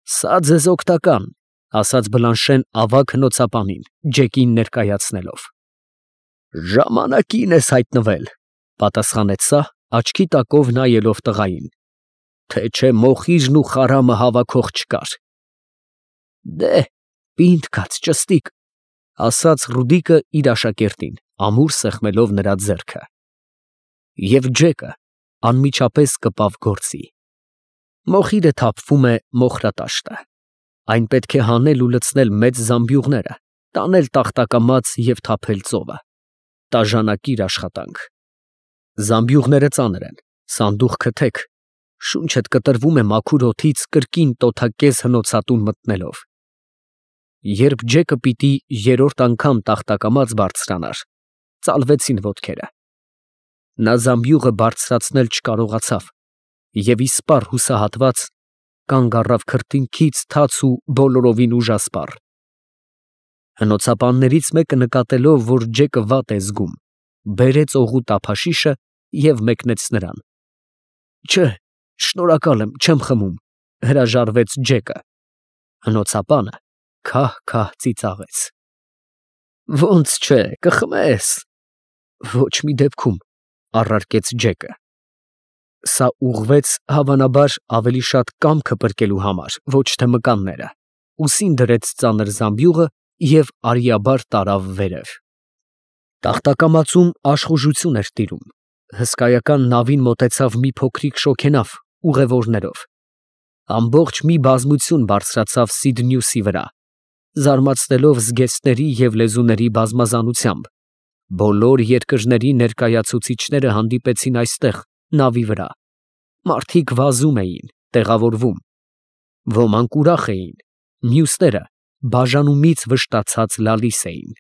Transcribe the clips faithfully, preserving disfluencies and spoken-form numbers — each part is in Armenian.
Սա ձեզ օգտական, ասաց Բլանշեն ավագ հնոցապանին, Ջեկին ներկայացնելով։ Ժամանակին ես հայտնվել, պատասխանեց սա, աչքի տակով նայելով տղային, թե չէ մոխիրն ու խարամը հավաքող չկար։ Դե, պինդ կաց ճստիկ, ասաց Ռուդիկը իր աշակերտին, ամուր սեղմելով նրա ձեռքը։ Եվ Ջեկը անմիջապես կպավ գործի։ Մոխիրը թափվում է մոխրատաշտը։ Այն պետք է հանել ու լցնել մեծ զամբյուղները, տանել տախտակամած և թափել ծովը։ Տաժանակիր աշխատանք։ Զամբյուղները ծանր են, սանդուղքը թեք, շունչդ կտրվում է մաքուր օդից կրկին տոթակեզ հնոցատուն մտնելով։ Երբ Ջեկը պիտի երրորդ անգամ տախտակամած բարձրանար, ծալվեցին ոտքերը։ Նա զամբյուղը բարձրացնել չկարողացավ և իսպառ հուսահատված կանգ առավ քրտինքից թաց ու բոլորովին ուժասպառ։ Հնոցապաններից մեկը նկատելով, որ Ջեկը վատ է զգում, բերեց օղու տափաշիշը և մեկնեց նրան։ Չէ, շնորհակալ եմ, չեմ խմում, հրաժարվեց Ջեկը։ Հնոցապանը քահ֊քահ ծիծաղեց։ Ոնց չէ, կխմես։ Ոչ մի դեպքում, առարկեց Ջեկը։ Սա ուղղվեց, հավանաբար, ավելի շատ կամքը պրկելու համար, ոչ թե մկանները, ուսին դրեց ծանր զամբյուղը և արիաբար տարավ վերև։ Տախտակամածում աշխուժություն էր տիրում, հսկայական նավին մոտեցավ մի փոքրիկ շոգենավ ուղևորներով։ Ամբողջ մի բազմություն բարձրացավ Սիդնյուսի վրա, զարմացնելով զգեստների և լեզուների բազմազանությամբ։ Բոլոր երկրների ներկայացուցիչները հանդիպեցին այստեղ, նավի վրա։ Մարդիկ վազում էին, տեղավորվում։ Ոմանք ուրախ էին, մյուսները բաժանումից վշտացած լալիս էին։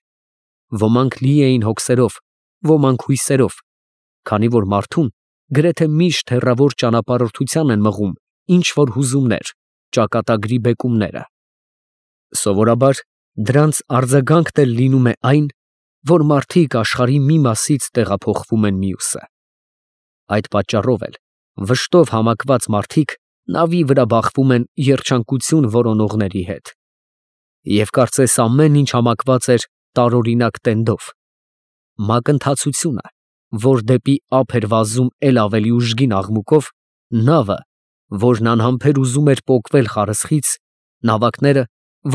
Ոմանք լի էին հոգսերով, ոմանք հույսերով, քանի որ մարդուն գրեթե միշտ հեռավոր ճանապարհորդության են մղում ինչ-որ հուզումներ, ճակատագրի բեկումները։ Սովորաբար դրանց արձագանքն էլ լինում է այն, որ մարդիկ աշխարհի մի մասից տեղափոխվում են մյուսը։ Այդ պատճառով էլ վշտով համակված մարդիկ նավի վրա բախվում են երջանկություն որոնողների հետ։ Եվ կարծես ամեն ինչ համակված էր տարօրինակ տենդով։ Մակընթացությունը, որ դեպի ափ էր վազում էլ ավելի ուժգին աղմուկով, նավը, որն անհամբեր ուզում էր պոկվել խարսխից, նավակները,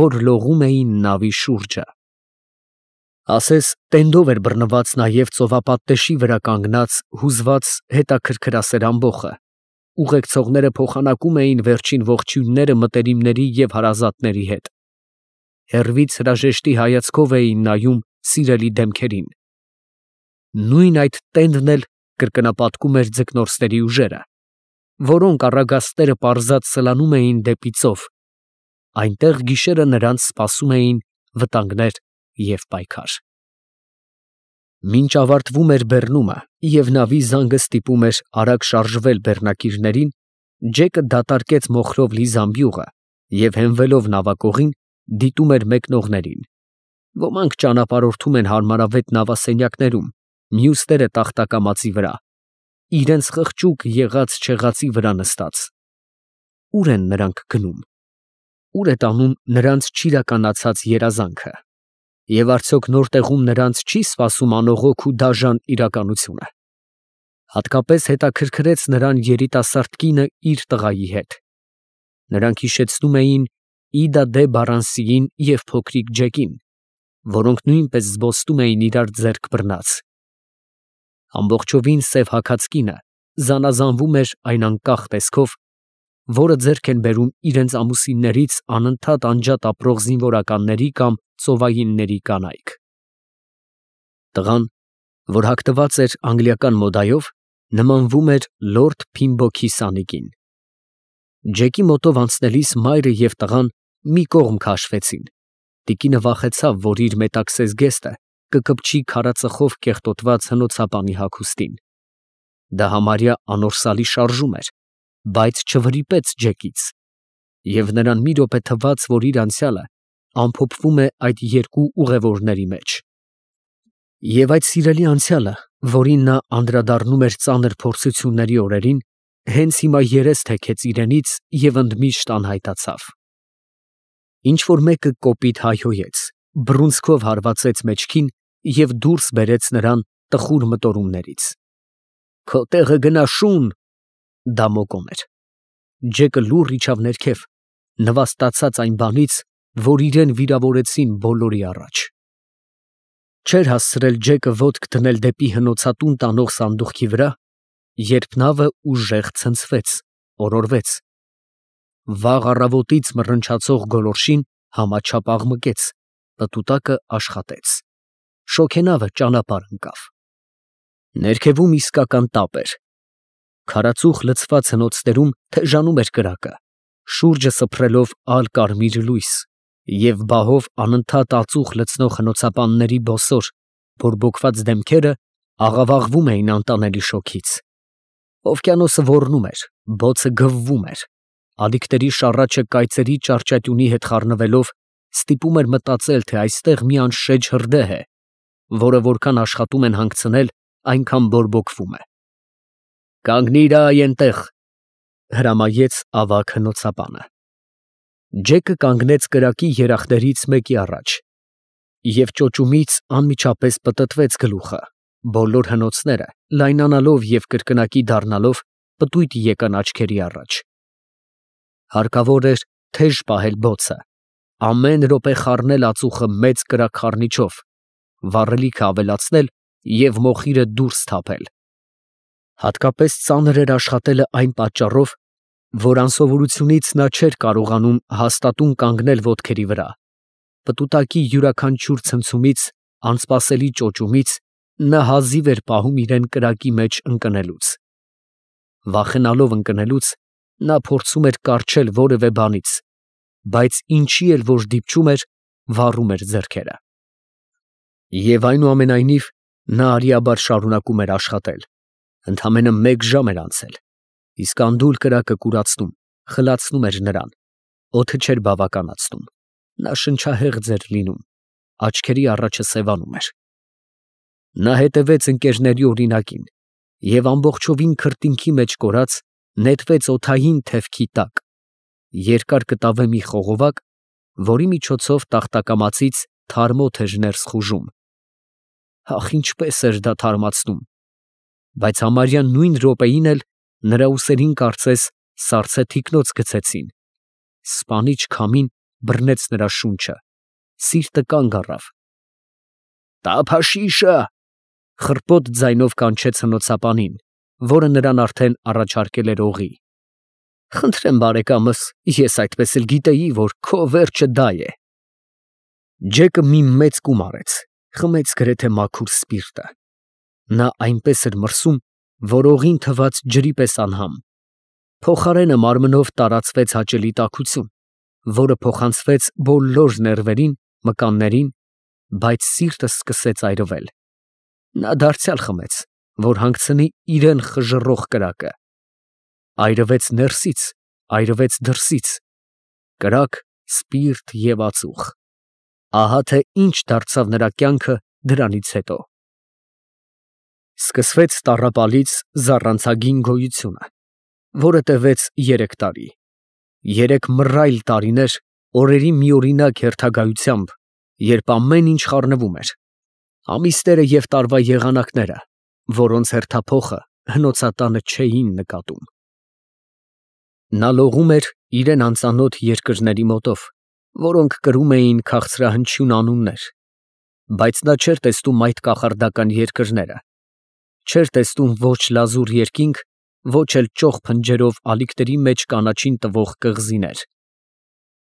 որ լողում էին նավի շուրջը։ Ասես տենդով էր բռնված նաև ծովապատտեշի վրա կանգնած հուզված հետաքրքրասեր ամբոխը, ուղեկցողները փոխանակում էին վերջին ողջույնները մտերիմների և հարազատների հետ։ Հեռվից հրաժեշտի հայացքով էին նայում սիրելի դեմքերին։ Նույն այդ տենդն էլ կրկնապատկում էր ձկնորսների ուժերը, որոնք առագաստերը պարզած սլանում էին դեպի ծով։ Այնտեղ գիշերը նրանց սպասում էին վտանգներ և պայքար։ Մինչ ավարտվում էր բեռնումը և նավի զանգը ստիպում էր արագ շարժվել բեռնակիրներին, Ջեկը դատարկեց մոխրով լի զամբյուղը և հենվելով նավակողին, դիտում էր մեկնողներին։ Ոմանք ճանապարհորդում են հարմարավետ նավասենյակներում, մյուսները տախտակամածի վրա, իրենց խղճուկ եղած֊չեղածի վրա նստած։ Ուր են նրանք գնում։ Ուր է տանում նրանց չիրականացած երազանքը։ Եվ արդյոք նոր տեղում նրանց չի սպասում անողոք ու դաժան իրականությունը։ Հատկապես հետաքրքրեց նրան երիտասարդ կինը իր տղայի հետ։ Նրանք հիշեցնում էին Իդա դե Բարանսիին և փոքրիկ Ջեկին, որոնք նույնպես զբոսնում էին իրար ձեռք բռնած։ Ամբողջովին սև հագած կինը զանազանվում էր այն անկախ տեսքով, որը ձեռք են բերում իրենց ամուսիններից անընդհատ անջատ ապրող զինվորականների կամ ծովայինների կանայք։ Տղան, որ հագնված էր անգլիական մոդայով, նմանվում էր լորդ Փիմբոքի սանիկին։ Ջեկի մոտով անցնելիս մայրը և տղան մի կողմ քաշվեցին։ Տիկինը վախեցավ, որ իր մետաքսես զգեստը կկպչի քարածխով կեղտոտված հնոցապանի հագուստին։ Դա համարյա անորսալի շարժում էր, բայց չվրիպեց Ջեկից, և նրան մի րոպե թվաց, որ իր անցյալը ամփոփվում է այդ երկու ուղևորների մեջ։ Եվ այդ սիրելի անցյալը, որին նա անդրադառնում էր ծանր փորձությունների օրերին, հենց հիմա երես թեքեց իրենից և ընդմիշտ անհայտացավ։ Ինչ որ մեկը կոպիտ հայհոյեց, բռունցքով հարվածեց մեջքին և դուրս բերեց նրան տխուր մտորումներից։ Քո տեղը գնա շուն։ Դա Մոկոն էր։ Ջեկը լուռ իջավ ներքև, նվաստացած այն բանից, որ իրեն վիրավորեցին բոլորի առաջ։ Չէր հասցրել Ջեկը ոտք դնել դեպի հնոցատուն տանող սանդուղքի վրա, երբ նավը ուժեղ ցնցվեց, օրորվեց։ Վաղ առավոտից մռնչացող գոլորշին համաչափ աղմկեց, պտուտակը աշխատեց։ Շոգենավը ճանապարհ ընկավ։ Ներքևում իսկական տապ էր։ Քարածուխ լցված հնոցներում թեժանում էր կրակը, շուրջը սփռելով ալ֊կարմիր լույս, և բահով անընդհատ ածուխ լցնող հնոցապանների բոսոր, բորբոքված դեմքերը աղավաղվում էին անտանելի շոգից։ Օվկիանոսը ոռնում էր, բոցը գվվում էր, ալիքների շառաչը կայծերի ճարճատյունի հետ խառնվելով ստիպում էր մտածել, թե այստեղ մի անշեջ հրդեհ է, որը որքան աշխատում են հանգցնել, այնքան բորբոքվում է։ Կանգնի՛ր այ էնտեղ, հրամայեց ավագ հնոցապանը։ Ջեկը կանգնեց կրակի երախներից մեկի առաջ, և ճոճումից անմիջապես պտտվեց գլուխը, բոլոր հնոցները լայնանալով և կրկնակի դառնալով պտույտ եկան աչքերի առաջ։ Հարկավոր էր թեժ պահել բոցը, ամեն րոպե խառնել ածուխը մեծ կրակխառնիչով, վառելիքը ավելացնել և մոխիրը դուրս թափել։ Հատկապես ծանր էր աշխատելը այն պատճառով, որ անսովորությունից նա չէր կարողանում հաստատուն կանգնել ոտքերի վրա։ Պտուտակի յուրաքանչյուր ցնցումից, անսպասելի ճոճումից նա հազիվ էր պահում իրեն կրակի մեջ ընկնելուց։ Վախենալով ընկնելուց, նա փորձում էր կառչել որևէ բանից, բայց ինչի էլ որ դիպչում էր, վառում էր ձեռքերը։ Եվ այնուամենայնիվ նա արիաբար շարունակում էր աշխատել։ Ընդամենը մեկ ժամ էր անցել, իսկ անդուլ կրակը կուրացնում, խլացնում էր նրան, օդը չէր բավականացնում, նա շնչահեղձ էր լինում, աչքերի առաջը սևանում էր։ Նա հետևեց ընկերների օրինակին և ամբողջովին քրտինքի մեջ կորած նետվեց օդային թևքի տակ, երկար կտավե մի խողովակ, որի միջոցով տախտակամածից թարմ օդ էր ներս խուժում։ Ախ, ինչպես էր դա թարմացնում, բայց համարյա նույն րոպեին էլ նրա ուսերին կարծես սառցե թիկնոց գցեցին, սպանիչ քամին բռնեց նրա շունչը, սիրտը կանգ առավ։ «Տափաշիշը», խռպոտ ձայնով կանչեց հնոցապանին, որը նրան արդեն առաջարկել էր օղի։ «Խնդրեմ, բարեկամս, ես այդպես էլ գիտեի, որ քո վերջը դա է»։ Ջեկը մի մեծ կում արեց, խմեց գրեթե մաքուր սպիրտը։ Նա այնպես էր մրսում, որ օղին թվաց ջրի պես անհամ։ Փոխարենը մարմնով տարածվեց հաճելի տաքություն, որը փոխանցվեց բոլոր ներվերին, մկաններին, բայց սիրտը սկսեց այրվել։ Նա դարձյալ խմեց, որ հանգցնի իրան խժռող կրակը։ Այրվեց ներսից, այրվեց դրսից, կրակ, սպիրտ և ածուխ։ Ահա թե ինչ դարձավ նրա կյանքը դրանից հետո։ Սկսվեց տառապալից զառանցագին գոյությունը, որը տևեց երեք տարի, երեք մռայլ տարիներ օրերի միօրինակ հերթագայությամբ, երբ ամեն ինչ խառնվում էր, ամիսները և տարվա եղանակները, որոնց հերթափոխը հնոցատանը չէին նկատում։ Նա լողում էր իրան անծանոթ երկրների մոտով, որոնք կրում էին քաղցրահնչյուն անուններ, բայց նա չէր տեսնում այդ կախարդական երկրները, չէր տեսնում ոչ լազուր երկինք, ոչ էլ ճոխ փնջերով ալիքների մեջ կանաչին տվող կղզիներ։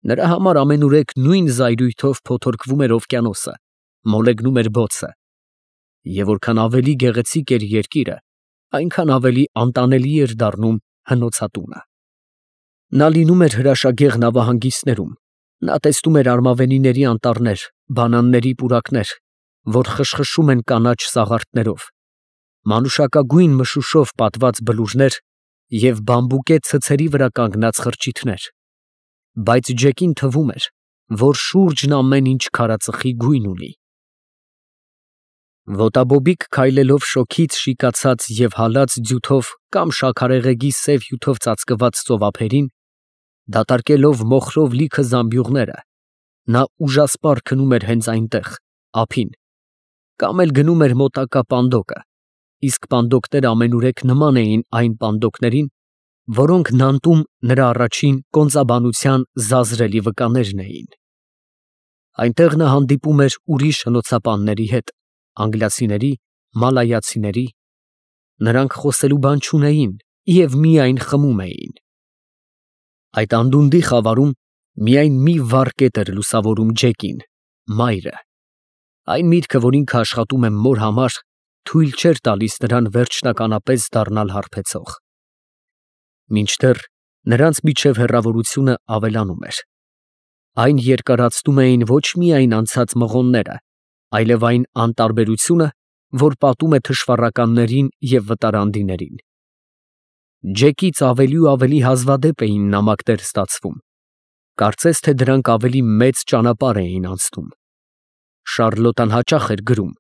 Նրա համար ամենուրեք նույն զայրույթով փոթորկվում էր օվկիանոսը, մոլեգնում էր բոցը, և որքան ավելի գեղեցիկ էր երկիրը, այնքան ավելի անտանելի էր դառնում հնոցատունը։ Նա լինում էր հրաշագեղ նավահանգիստներում, նա տեսնում էր արմավենիների անտառներ, բանանների պուրակներ, որ խշխշում են կանաչ սաղարթներով, մանուշակագույն մշուշով պատված բլուրներ և բամբուկե ցցերի վրա կանգնած խրճիթներ, բայց Ջեկին թվում էր, որ շուրջն ամեն ինչ քարածխի գույն ունի։ Ոտաբոբիկ քայլելով շոգից շիկացած և հալած ձյութով կամ շաքարեղեգի սև հյութով ծածկված ծովափերին, դատարկելով մոխրով լիքը զամբյուղները, Նա ուժասպառ քնում էր հենց այնտեղ, ափին, կամ էլ գնում էր մոտակա պանդոկը, իսկ պանդոկները ամենուրեք նման էին այն պանդոկներին, որոնք Նանտում նրա առաջին կոնծաբանության զազրելի վկաներն էին։ Այնտեղ նա հանդիպում էր ուրիշ հնոցապանների հետ, անգլիացիների, մալայացիների, նրանք խոսելու բան չունեին և միայն խմում էին։ Այդ անդունդի խավարում միայն մի վառ կետ էր լուսավորում Ջեկին, մայրը։ Այն միտքը, որ ինքը աշխատում է մոր համար, թույլ չէր տալիս նրան վերջնականապես դառնալ հարբեցող։ Մինչդեռ նրանց միջև հեռավորությունը ավելանում էր։ Այն երկարացնում էին ոչ միայն անցած մղոնները, այլև այն անտարբերությունը, որ պատում է թշվառականներին և վտարանդիներին։ Ջեկից ավելի ու ավելի հազվադեպ էին նամակներ ստացվում, կարծես թե դրանք ավելի մեծ ճանապարհ էին անցնում։ Շառլոտան հաճախ էր գրում,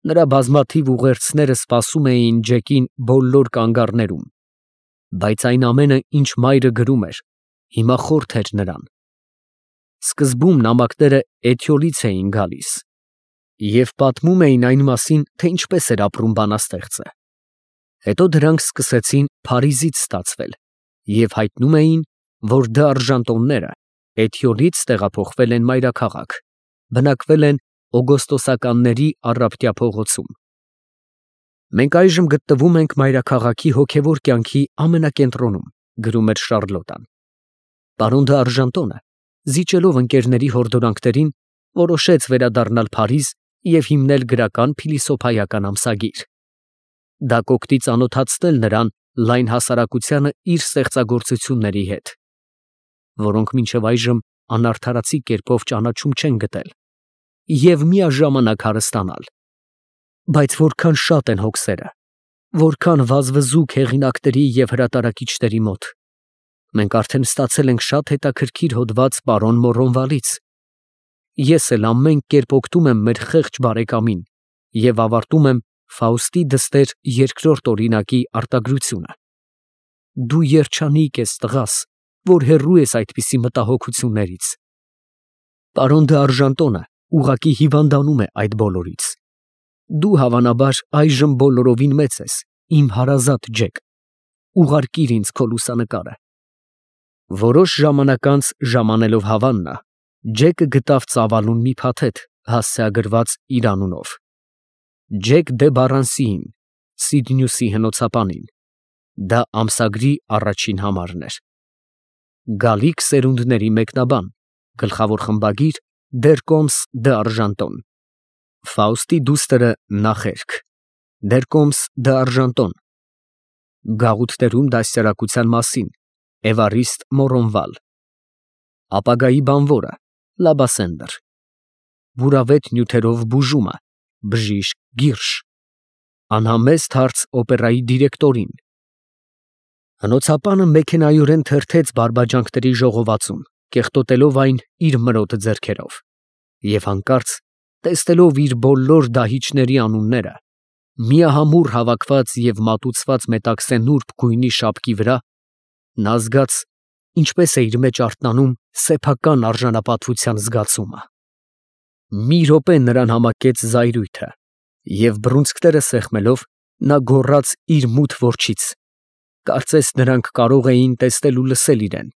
նրա բազմաթիվ ուղերձները սպասում էին Ջեկին բոլոր կանգառներում, բայց այն ամենը, ինչ մայրը գրում էր, հիմա խորթ էր նրան։ Սկզբում նամակները Էթյոլից էին գալիս և պատմում էին այն մասին, թե ինչպես էր ապրում բանաստեղծը։ Հետո դրանք սկսեցին Փարիզից ստացվել և հայտնում էին, որ դ'Արժանտոնները Էթյոլից տեղափոխվել են մայրաքաղաք, բնակվել են օգոստոսականների առապտյա փողոցում։ Մենք այժմ գտնվում ենք մայրաքաղաքի հոգևոր կյանքի ամենակենտրոնում, գրում էր Շառլոտան։ Պարոն դ'Արժանտոնը, զիջելով ընկերների հորդորանքներին, որոշեց վերադառնալ Փարիզ և հիմնել գրական փիլիսոփայական ամսագիր։ Դա կօգնի ծանոթացնել նրան լայն հասարակությանը իր ստեղծագործությունների հետ, որոնք մինչև այժմ անարդարացի կերպով ճանաչում չեն գտել, և միաժամանակ հարստանալ։ Բայց որքան շատ են հոգսերը, որքան վազվզուկ հեղինակների և հրատարակիչների մոտ։ Մենք արդեն ստացել ենք շատ հետաքրքիր հոդված պարոն Մորոնվալից։ Ես էլ ամեն կերպ օգնում եմ մեր խեղճ բարեկամին և ավարտում եմ Ֆաուստի դստեր երկրորդ օրինակի արտագրությունը։ Դու երջանիկ ես, տղաս, որ հեռու ես այդպիսի մտահոգություններից։ Պարոն դ'Արժանտոնը ուղղակի հիվանդանում է այդ բոլորից։ Դու, հավանաբար, այժմ բոլորովին մեծ ես, իմ հարազատ Ջեք, ուղարկիր ինձ քո լուսանկարը։ Որոշ ժամանակ անց, ժամանելով Հավաննա, Ջեկը գտավ ծավալուն մի փաթեթ հասցեագրված իր անունով. Ջեք դե Բարանսիին, Սիդնյուսի հնոցապանին։ Դա ամսագրի առաջին համարն էր։ Գալիք սերունդների մեկնաբան, գլխավոր խմբագիր Դեր Կոմս դ'Արժանտոն։ Ֆաուստի դուստրը նախերք, Դեր Կոմս դ'Արժանտոն։ Գաղութներում դաստիարակության մասին, Էվարիստ Մորոնվալ։ Ապագայի բանվորը, Լաբասենդր։ Բուրավետ նյութերով բուժումը, Բժիշկ Գիրշ։ Անհամեստ հարց օպերայի դիրեկտորին։ Հնոցապանը մեքենայորեն թերթեց բարբաջանքների ժողովածուն, կեղտոտելով այն իր մրոտ ձեռքերով, և հանկարծ, տեսնելով իր բոլոր դահիճների անունները, միահամուռ հավաքված և մատուցված մետաքսե նուրբ գույնի շապկի վրա, նա զգաց, ինչպես է իր մեջ արթնանում սեփական արժանապատվության զգացումը։ Մի րոպե նրան համակեց զայրույթը, և բռունցքները սեղմելով, նա գոռաց իր մութ որջից, կարծես նրանք կարող էին տեսնել ու լսել իրեն.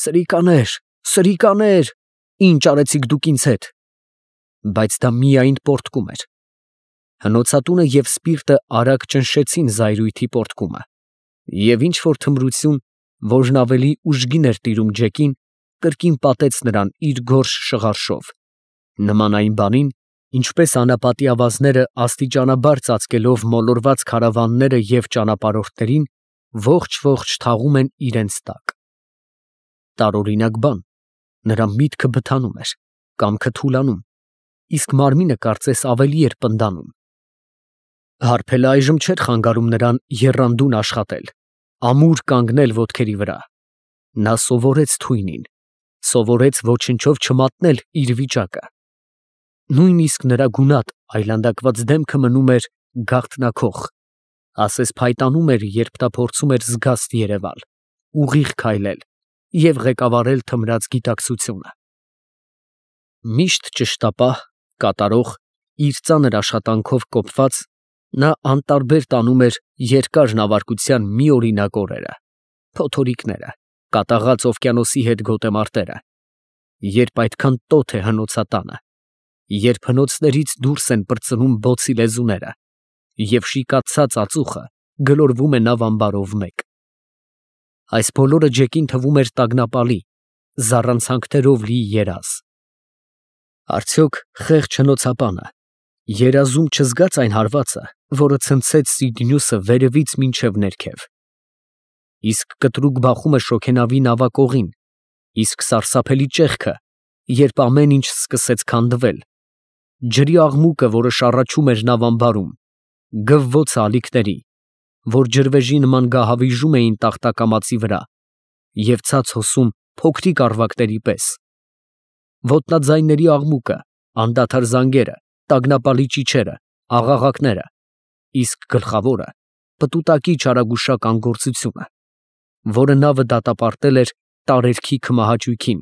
«Սրիկաներ, սրիկաներ, ի՞նչ արեցիք դուք ինձ հետ»։ Բայց դա միայն պոռթկում էր։ Հնոցատունը և սպիրտը արագ ճնշեցին զայրույթի պոռթկումը, և ինչ֊որ թմրություն, որն ավելի ուժգին էր տիրում Ջեկին, կրկին պատեց նրան իր գորշ շղարշով, նման այն բանին, ինչպես անապատի ավազները աստիճանաբար ծածկելով մոլորված քարավանները և ճանապարհորդներին, ողջ֊ողջ թաղում են իրենց տակ։ Տարօրինակ բան, նրա միտքը բթանում էր, կամքը թուլանում, իսկ մարմինը կարծես ավելի էր պնդանում։ Հարբելը այժմ չէր խանգարում նրան եռանդուն աշխատել, ամուր կանգնել ոտքերի վրա։ Նա սովորեց թույնին, սովորեց ոչնչով չմատնել իր վիճակը։ Նույնիսկ նրա գունատ, այլանդակված դեմքը մնում էր գաղտնաքող, ասես փայտանում էր, երբ նա փորձում էր զգաստ երևալ, ուղիղ քայլել և ղեկավարել թմրած գիտակցությունը։ Միշտ ճշտապահ, կատարող, իր ծանր աշխատանքով կոփված, նա անտարբեր տանում էր երկար նավարկության մի օրինակ օրերը, փոթորիկները, կատաղած օվկիանոսի հետ գոտեմարտերը, երբ այդքան տոթ է հնոցատանը, երբ հնոցներից դուրս են պրծնում բոցի լեզուները, և շիկացած ածուխը գլորվում է նավ ամբարով մեկ։ Այս բոլորը Ջեկին թվում էր տագնապալի, զառանցանքներով լի երազ։ Արդյոք խեղճ հնոցապանը երազում չզգաց այն հարվածը, որը ցնցեց Սիդնյուսը վերևից մինչև ներքև։ Իսկ կտրուկ բախումը շոգենավի նավակողին, իսկ սարսափելի ճեղքը, երբ ամեն ինչ սկսեց քանդվել, ջրի աղմուկը, որը շառաչում էր նավ ամբարում, գվվոցը ալիքների, որ ջրվեժի նման գահավիժում էին տախտակամածի վրա և ցած հոսում փոքրիկ առվակների պես, ոտնաձայների աղմուկը, անդադար զանգերը, տագնապալի ճիչերը, աղաղակները, իսկ գլխավորը պտուտակի չարագուշակ անգործությունը, որը նավը դատապարտել էր տարերքի քմահաճույքին,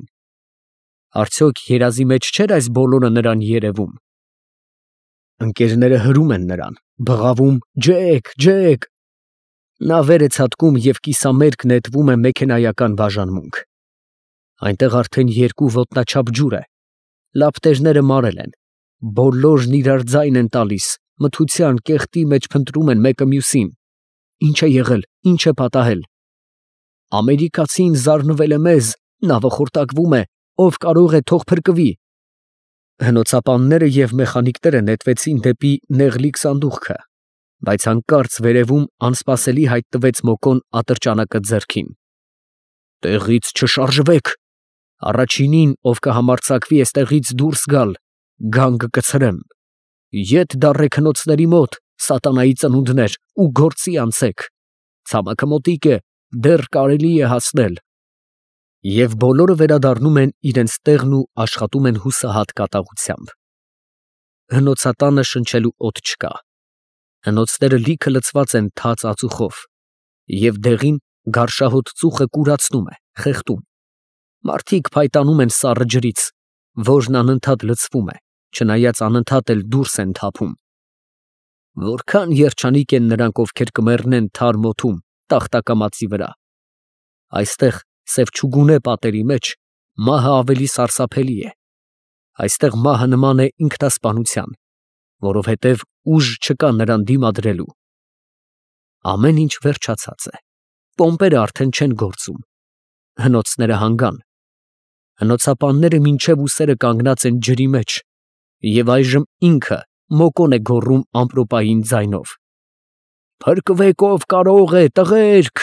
արդյոք երազի մեջ չէր այս բոլորը նրան երևում։ Ընկերները հրում են նրան, բղավում. «Ջեք, Ջեք»։ Նա վեր է ցատկում և կիսամերկ նետվում է մեքենայական բաժանմունք։ Այնտեղ արդեն երկու ոտնաչափ ջուր է, լապտերները մարել են, բոլորն իրար ձայն են տալիս, մթության, կեղտի մեջ փնտրում են մեկը մյուսին. ի՞նչ է եղել, ի՞նչ է պատահել։ Ամերիկացին զարնվել է մեզ, նավը խորտակվում է, ով կարող է, թող փրկվի։ Հնոցապանները և մեխանիկները նետվեցին դեպի նեղլիկ սանդուղքը, բայց հանկարծ վերևում անսպասելի հայտնվեց Մոկոն ատրճանակը ձեռքին։ «Տեղից չշարժվեք, առաջինին, ով կհամարձակվի էստեղից դուրս գալ, գանգը կցրեմ, ետ դառեք հնոցների մոտ, սատանայի ծնունդներ, ու գործի անցեք, ցամաքը մոտիկ է, դեռ կարելի է հասնել»։ Եվ բոլորը վերադառնում են իրենց տեղն ու աշխատում են հուսահատ կատաղությամբ։ Հնոցատանը շնչելու օդ չկա, հնոցները լիքը լցված են թաց ածուխով, և դեղին գարշահոտ ծուխը կուրացնում է, խեղդում, մարդիկ փայտանում են սառը ջրից, որն անընդհատ լցվում է, չնայած անընդհատ էլ դուրս են թափում։ Որքան երջանիկ են նրանք, ովքեր կմեռնեն թարմ օդում, տախտակամածի վրա։ Այստեղ սև չուգունե պատերի մեջ մահը ավելի սարսափելի է, այստեղ մահը նման է ինքնասպանության, որովհետև ուժ չկա նրան դիմադրելու։ Ամեն ինչ վերջացած է, պոմպերը արդեն չեն գործում, հնոցները հանգան, հնոցապանները մինչև ուսերը կանգնած են ջրի մեջ, և այժմ ինքը Մոկոն է գոռում ամպրոպային ձայնով. «Փրկվեք, ով կարող է, տղերք»։